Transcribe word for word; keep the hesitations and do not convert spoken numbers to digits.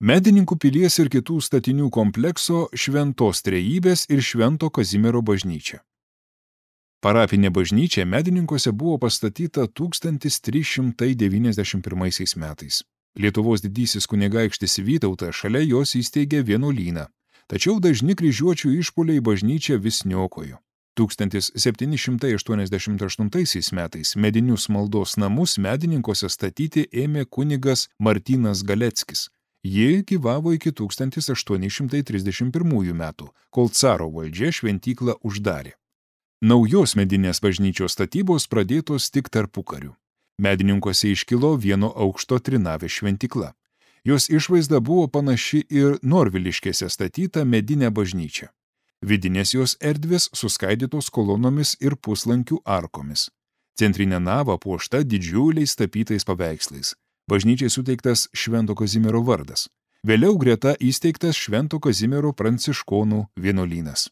Medininkų pilies ir kitų statinių komplekso Šventos Trejybės ir Švento Kazimiero bažnyčia. Parapinė bažnyčia Medininkuose buvo pastatyta tūkstantis trys šimtai devyniasdešimt pirmaisiais metais. Lietuvos didysis kunigaikštis Vytautas šalia jos įsteigė vienuolyną, tačiau dažni kryžiuočių išpuoliai bažnyčią vis niokojo. tūkstantis septyni šimtai aštuoniasdešimt aštuntaisiais metais medinius maldos namus Medininkuose statyti ėmė kunigas Martynas Galeckis. Ji gyvavo iki tūkstantis aštuoni šimtai trisdešimt pirmųjų metų, kol caro valdžia šventyklą uždarė. Naujos medinės bažnyčios statybos pradėtos tik tarpukariu. Medininkuose iškilo vieno aukšto trinavė šventykla. Jos išvaizda buvo panaši ir Norviliškėse statyta medinė bažnyčia. Vidinės jos erdvės suskaidytos kolonomis ir puslankių arkomis. Centrinė nava puošta didžiuliais tapytais paveikslais. Bažnyčiai suteiktas Švento Kazimiero vardas. Vėliau greta įsteigtas Švento Kazimiero pranciškonų vienuolynas.